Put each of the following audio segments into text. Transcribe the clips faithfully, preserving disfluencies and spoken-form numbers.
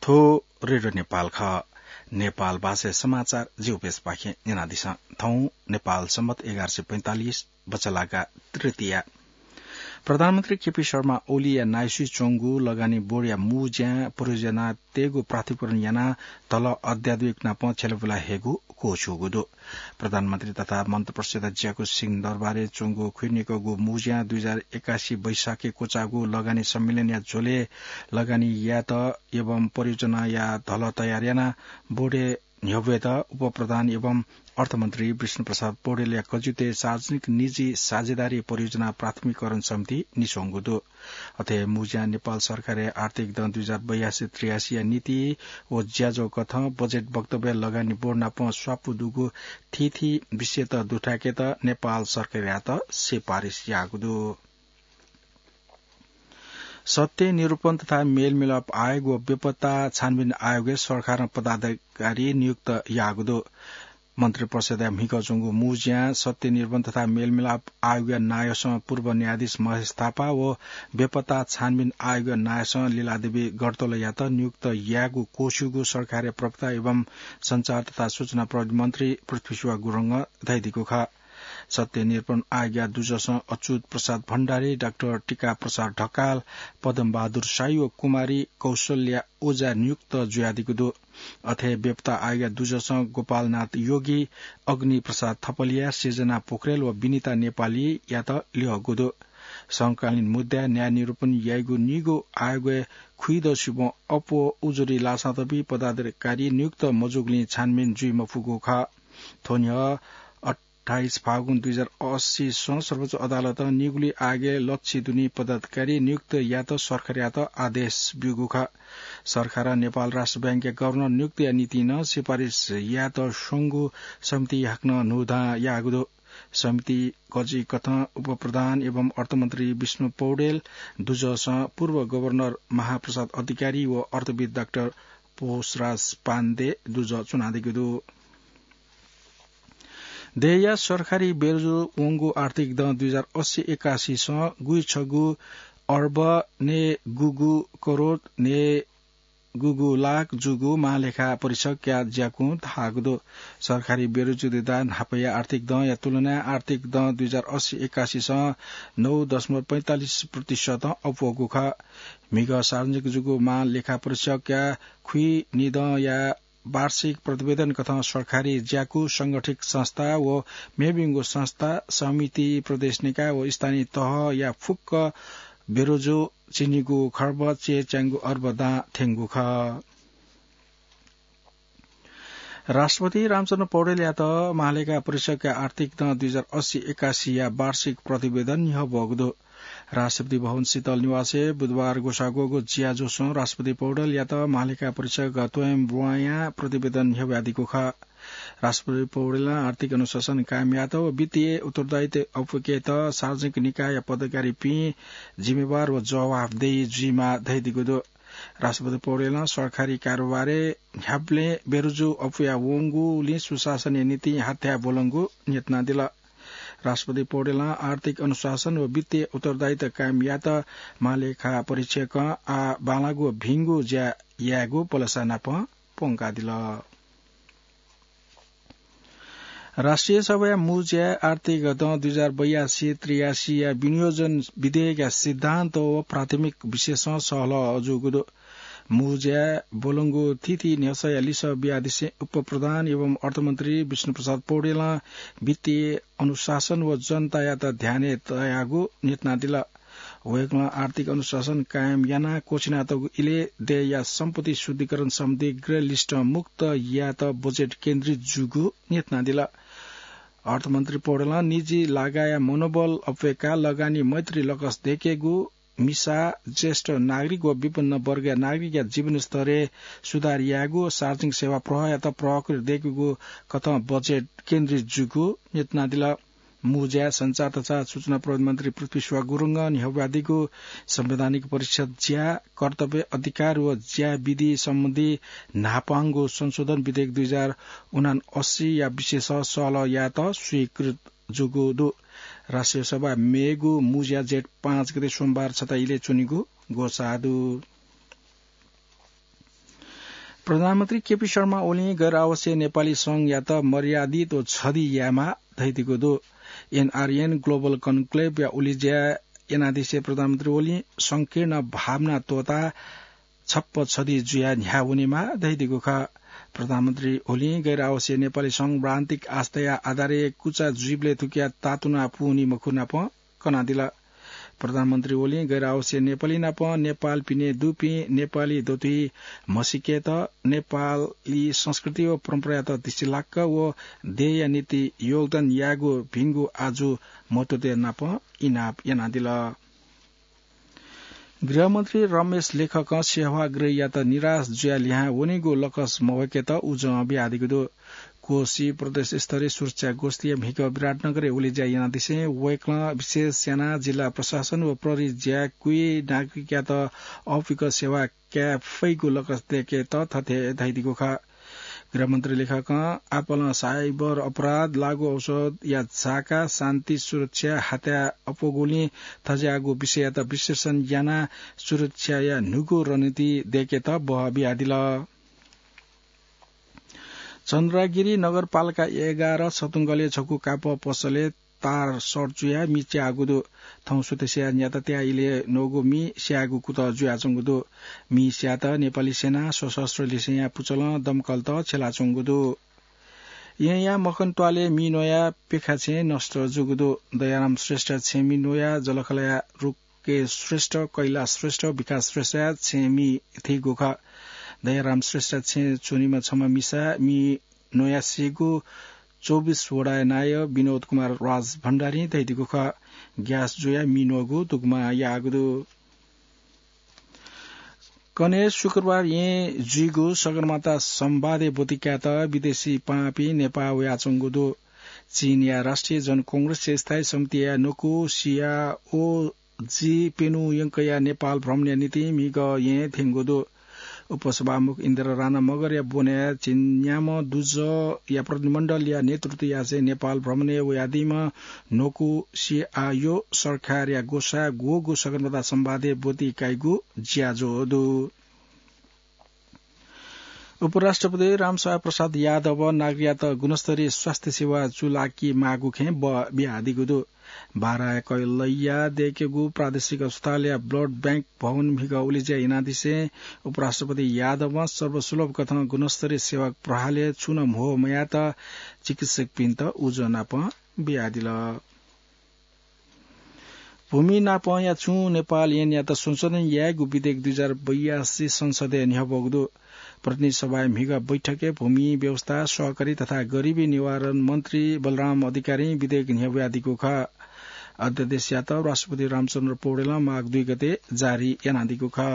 थ्व रेडियो नेपाल खः। नेपाल भाषाय् समाचार जिगु पेजपाखें न्यनादिसँ। थौं नेपाल सम्बत एघार सय पैंतालिस बचलागा तृतीया। प्रधानमन्त्री केपी शर्मा ओलीया नायःसुइ च्वंगु लगानी बोर्डया मू ज्यां परियोजना तयेगु प्राधिकरण यानाः धलः अध्यात्मिक नाप छ्यलाबुला हयेगु क्वःछ्यूगु दु। प्रधानमन्त्री तथा मन्त्रिपरिषदया ज्याकू सिंहदरबारय् च्वंगु खुइनिकःगु मू ज्यां दुई हजार एकासी वैशाखय् क्वचाःगु लगानी सम्मेलनया झ्वलय् लगानी यायेत एवं परियोजनाया धलः तयार यानाः बोर्डय् न्ह्यब्वयेत उपप्रधान एवं अर्थमन्त्री विष्णुप्रसाद पौडेलया कजितय् सार्वजनिक निजी साझेदारी परियोजना प्राथमिकीकरण समिति निस्वंगु दु। अथे मू ज्यां नेपाल सरकारया आर्थिक दँ दुई हजार बयासी त्रियासीया नीति व ज्याझ्वः कथं बजेट वक्तव्य लगानी बोर्ड नाप स्वापू दुगु थीथी विषयत दुथ्याकेत नेपाल सरकारयात सिफारिस याःगु दु। सत्य निरूपण तथा मेलमिलाप आयोग व बेपत्ता छानबिन आयोगय् सरकारं पदाधिकारी नियुक्त याःगु दु। मन्त्रिपरिषदया म्हिगः च्वंगु मू ज्यां सत्य निरूपण तथा मेलमिलाप आयोगया नायःसं पूर्व न्यायाधीश महेश थापा व बेपत्ता छानबिन आयोगया नायःसं लीलादेवी गडतलयात नियुक्त यायेगु क्वःछ्यूगु सरकारया प्रवक्ता एवं सञ्चार तथा सूचना प्रविधि मन्त्री पृथ्वीश्वर गुरुङं धयादीगु खः। सत्य निरूपण आयोगया दुजसं अच्युत प्रसाद भण्डारी, डाक्टर टीका प्रसाद ढकाल, पद्मबहादुर शाही व कुमारी कौशल्या ओझा नियुक्त जुयादीगु दु। अथे बेपत्ता आयोगया दुजसं गोपालनाथ योगी, अग्नि प्रसाद थपलिया, सृजना पोखरेल व विनिता नेपालीयात ल्यःगु दु। समकालीन मुद्दाय् न्याय निरूपण याइगु निगू आयोगय् खुइदँ सिबं अप्वः उजुरी लासातःपिं पदाधिकारी नियुक्त मजूगुलिं छानबिन जुइ मफुगु खः। थ्व न्ह्यः अट्ठाइस फागुन दुई हजार अस्सीसं सर्वोच्च अदालतं निगुली आयोगय् लच्छि दुनि पदाधिकारी नियुक्त यायेत सरकारयात आदेश ब्यूगु खः। सरकारं नेपाल राष्ट्र बैंकया गभर्नर नियुक्तिया निंतिं नं सिफारिस यायेत स्वंगु समिति हाकनं न्हूदँ याःगु दु। समिति कजिकथं उपप्रधान एवं अर्थमन्त्री विष्णु पौडेल दुजसं पूर्व गभर्नर महाप्रसाद अधिकारी व अर्थविद् डाक्टर पोषराज पाण्डे दुज च्वनादीगु दु। देय्‌या सरकारी बेरुजु वंगु आर्थिक दँ दुई हजार अस्सी एकासीसं गुइछगू अर्ब नयेगूगू करोड नयेगूगू लाख जूगु महालेखा परीक्षकया ज्याकुं धाःगु दु। सरकारी बेरुजुद्धार न्हापाया आर्थिक दँया तुलनाय् आर्थिक दँ दुई हजार अस्सी एकासीसं नौ दशमलव पैंतालिस प्रतिशतं अप्वःगु खः। म्हिगः सार्वजनिक जूगु महालेखा परीक्षकया खुइनिदँया वार्षिक प्रतिवेदन कथं सरकारी ज्याकू, संगठित संस्था व मेमेगु संस्था, समिति, प्रदेश निकाय व स्थानीय तहया फुक्क बेरुजु चिनिगू खर्ब चय्‌च्याङ्गु अर्ब दां थ्यंगु खः। राष्ट्रपति रामचन्द्र पौडेलयात महालेखा परीक्षकया आर्थिक दँ दुई हजार अस्सी एकासीया वार्षिक प्रतिवेदन न्ह्यब्वःगु दु। राष्ट्रपति भवन शीतल निवासय् बुधबार ग्वसाः ग्वःगु ज्याझ्वलय् राष्ट्रपति पौडेलयात महालेखा परीक्षक त्वयं ब्वाँया प्रतिवेदन न्ह्यब्वयादीगु खः। राष्ट्रपति पौडेलं आर्थिक अनुशासन कायम यायेत व वित्तीय उत्तरदायित्व अप्वयेकेत सार्वजनिक निकायया पदाधिकारीपिं जिम्मेवार व जवाफदेही जुइमाः धयादीगु दु। राष्ट्रपति पौडेलं सरकारी कारोबारय् न्ह्याबलें बेरुजु अप्वया वंगुलिं सुशासनया निंतिं हाथ्याः ब्वलंगु न्ह्यथनादिल। राष्ट्रपति पौडेलं आर्थिक अनुशासन व वित्तीय उत्तरदायित्व कायम यायेत महालेखा परीक्षकं आः बांलाःगु भिंगु ज्या यायेगु पलसा नाप प्वंकादिल। राष्ट्रिय सभाया मू ज्याय् आर्थिक दँ दुई हजार बयासी त्रियासीया विनियोजन विधेयकया सिद्धान्त व प्राथमिक विषयसं सहलह जूगु दु। मू ज्याय् ब्वलंगु थीथी न्ह्यसःया लिसः बियादिसें उपप्रधान एवं अर्थमन्त्री विष्णुप्रसाद पौडेलं वित्तीय अनुशासन व जनतायात ध्यानय् तयागु न्ह्यथनादिल। वय्‌कलं आर्थिक अनुशासन कायम यानाः क्वःछिनातःगु इलय् देय्‌या सम्पत्ति शुद्धिकरण सम्बन्धी ग्रे लिस्टं मुक्त यायेत बजेट केन्द्रित जूगु न्ह्यथनादिल। अर्थमन्त्री पौडेलं निजी लागाया मनोबल अप्वय्‌काः लगानी मैत्री लकस दयेकेगु, मिसा, ज्येष्ठ नागरिक व विपन्न वर्गया नागरिकया जीवनस्तरय् सुधार यायेगु, सार्वजनिक सेवा प्रवाहयात प्रवाह दयेकेगु कथं बजेट केन्द्रित जूगु न्ह्यथनादिल। मू ज्याय् सञ्चार तथा सूचना प्रविधि मन्त्री पृथ्वीश्वर गुरुङं न्ह्यब्वयादीगु संवैधानिक परीक्षाया ज्या, कर्तव्य, अधिकार व ज्या विधि सम्बन्धी न्हापांगु संशोधन विधेयक दुई हजार उनान्सयया विषयसं सहलह यायेत स्वीकृत जूगु दु। राष्ट्रिय सभा मेगु मू ज्या जेठ पाँच गते सोमबार छता इलय् च्वनीगु ग्वसाः दु। प्रधानमन्त्री केपी शर्मा ओलीं गैर आवासीय नेपाली संघयात मर्यादित व छधि यायेमाः धइदिगु दु। एनआरएन ग्लोबल कन्क्लेभया उलेज्या यानादिसे प्रधानमन्त्री ओलीं संकीर्ण भावना त्वःताः छप्प छधि जुयाः न्ह्याः वनेमाः धइदिगु खः। प्रधानमन्त्री ओलीं गैर आवासीय नेपाली संघ प्रान्तिक आस्थाया आधारय् कुचा जुइबलय् थुकिया तातुना पूवनी मखु नाप कनादिल। प्रधानमन्त्री ओलीं गैर आवासीय नेपाली नाप नेपाल पिने दुपिं नेपाली दथुइ म्हसीकेत नेपाली संस्कृति व परम्परायात धिसिलाक्क व देय्‌या निंतिं योगदान यायेगु भिंगु आजु महत्त्वतय् नाप इनाप यानादिल। गृहमन्त्री रमेश लेखकं सेवाग्रहीयात निराश जुयाः लिहां वनीगु लकस मवय्‌केत उजं बियादीगु दु। कोशी प्रदेश स्तरीय सुरक्षा गोष्ठीया म्हिगः विराटनगरय् उलेज्या यानादिसें वय्‌कलं विशेष यानाः जिल्ला प्रशासन व प्रहरी ज्याकुइ नागरिकयात अःपुक सेवा काये फइगु लकस दय्‌केत थथे धइदिगु खः। गृहमन्त्री लेखकं आपालं साइबर अपराध, लागू औषधया झाका, शान्ति सुरक्षा, हत्या अप्वःगुलिं थज्याःगु विषययात विश्लेषण यानाः सुरक्षाया न्हूगु रणनीति दय्‌केत बह बियादिल। चन्द्रागिरी नगरपालिका एघार सतुंगलय् छकू कापः पसलय् तार सर्ट जुयाः मि च्याःगु दु। थौं सुथसिया न्याता त्याः इलय् नःगु मि स्यायेगु कुतः जुयाच्वंगु दु। मि स्यायेत नेपाली सेना सशस्त्र लिसेंया पुचलं दमकलत छ्यलाच्वंगु दु। येँया मखन त्वालय् मि न्वयाः पेखा छेँ नष्ट जूगु दु। दयाराम श्रेष्ठ छेँमि न्वयाः जलखलया रुके श्रेष्ठ, कैलाश श्रेष्ठ, विकास श्रेष्ठया छेँमि थीगु खः। दयाराम श्रेष्ठ छेँ च्वनीम्ह छम्ह मिसा मि न्वयाः सीगु चौबिस वडाया नायः विनोद कुमार राज भण्डारीं धयादीगु खः। ग्यास जुयाः मि न्वःगु दुगुमा याःगु दु। कन्हय् शुक्रबार येँ जुइगु सगरमाथा संवादय् ब्वति कायेत विदेशी पाहांपिं नेपाः वयाच्वंगु दु। चीनया राष्ट्रिय जनकांग्रेसया स्थायी समितिया न्वकू सियाओ जी पेनु यंकया नेपाल भ्रमणया निंतिं म्हिगः येँ थ्यंगु दु। उपसभामुख इन्द्र राणा मगरया ब्वनय् झिंन्याम्ह दुजःया प्रतिनिधिमण्डलया नेतृत्व यासें नेपाल भ्रमणय् वयादीम्ह न्वकू सियाओ सरकारया ग्वसाः ग्वःगु सगरमाथा संवादय् ब्वति काइगु ज्याझ्वः दु। उपराष्ट्रपति रामसहाय प्रसाद यादवं नागरिकयात गुणस्तरीय स्वास्थ्य सेवा चूलाकी माःगु खँय् बः बियादीगु दु। बाराया कैलैया दय्‌केगु प्रादेशिक अस्पतालया ब्लड बैंक भवन म्हिगः उलेज्या यानादिसें उपराष्ट्रपति यादवं सर्वसुलभ कथं गुणस्तरीय सेवा प्रहालय् छुं नं म्हो मयायेत चिकित्सकपिन्त उजं नाप बियादिल। भूमि नापंया छुं नेपाल येनयात संशोधन यायेगु विधेयक दुई हजार बयासी संसदय् न्ह्यब्वःगु दु। प्रतिनिधि सभाया म्हिगः बैठकय् भूमि व्यवस्था, सहकारी तथा गरिबी निवारण मन्त्री बलराम अधिकारीं विधेयक न्ह्यब्वयादीगु खः। अध्यादेशयात राष्ट्रपति रामचन्द्र पौडेलं माघ दुई गते जारी यानादीगु खः।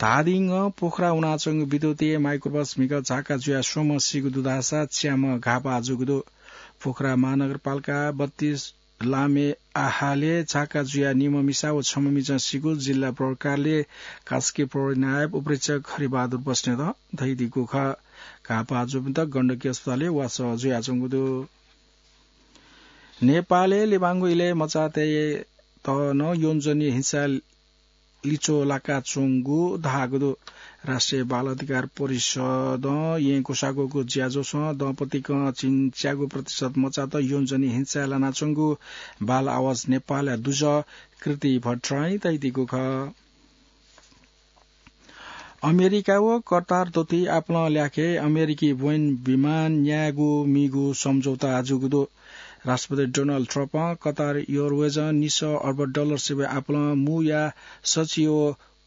धादिङं पोखरा वनाच्वंगु विद्युतीय माइक्रोबस म्हिगः झाका जुयाः स्वम्ह सीगु दु धाःसा च्याम्ह घाःपाः जूगु दु। पोखरा महानगरपालिका बत्तीस लामे आहालय् झाका जुयाः निम्ह मिसा व छम्ह मिजं सीगु जिल्ला प्रहरी कार्यालय कास्की प्रहरी नायब उपरीक्षक हरिबहादुर बस्नेतं धयादीगु खः। घाःपाः जूपिन्त गण्डकी अस्पतालय् वासः जुयाच्वंगु दु। नेपालय् लिबांगु इलय् मचातय्‌त नं यौनजन्य हिंसा लिच्वः लाकाच्वंगु धाःगु दु। राष्ट्रिय बाल अधिकार परिषदं येँ ग्वसाः ग्वःगु ज्याझ्वलय् दम्पतिकं झिंच्यागू प्रतिशत मचात यौनजन्य हिंसाय् लानाच्वंगु बाल आवाज नेपालया दुजः कृति भट्टराईं धयादीगु खः। अमेरिका व कतार दथुइ आपालं ल्याखय् अमेरिकी बोइङ विमान न्यायेगु मीगु सम्झौता जूगु दु। राष्ट्रपति डोनाल्ड ट्रम्पं कतार एयरवेजं निसः अर्ब डलर सिबय् आपालं मूया सचिव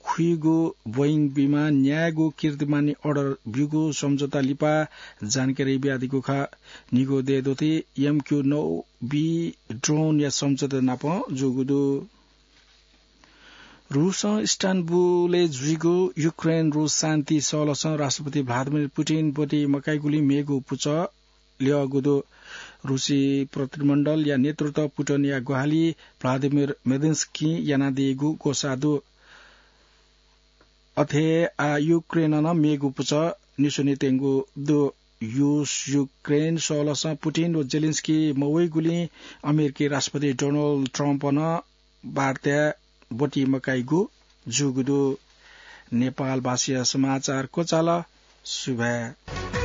खुइगु बोइङ विमान न्यायेगु कीर्तिमानी अर्डर ब्यूगु सम्झौता लिपा जानकारी बियादीगु खः। निगू देय् दथुइ एमक्यू नौ बी ड्रोनया सम्झौता नाप जूगु दु। रूसं इस्तानबुलय् जुइगु युक्रेन रूस शान्ति सहलसं राष्ट्रपति भ्लादिमिर पुतिन ब्वति मकाइगुलिं मेगु पुचः ल्यःगु दु। रूसी प्रतिनिधिमण्डलया नेतृत्व पुतिनया ग्वाहालि भ्लादिमिर मेदिन्स्कीं यानादीगु ग्वसाः दु। अथे हे आः युक्रेनं नं मेगु पुचः निस्वनेत्यंगु दु। रूस युक्रेन सहलसं पुतिन व जेलेन्स्की मवइगुलिं अमेरिकी राष्ट्रपति डोनाल्ड ट्रम्पं वार्ताय् ब्वति मकाइगु जूगु दु। नेपाल भाषाया समाचार क्वचाल। सुभाय्।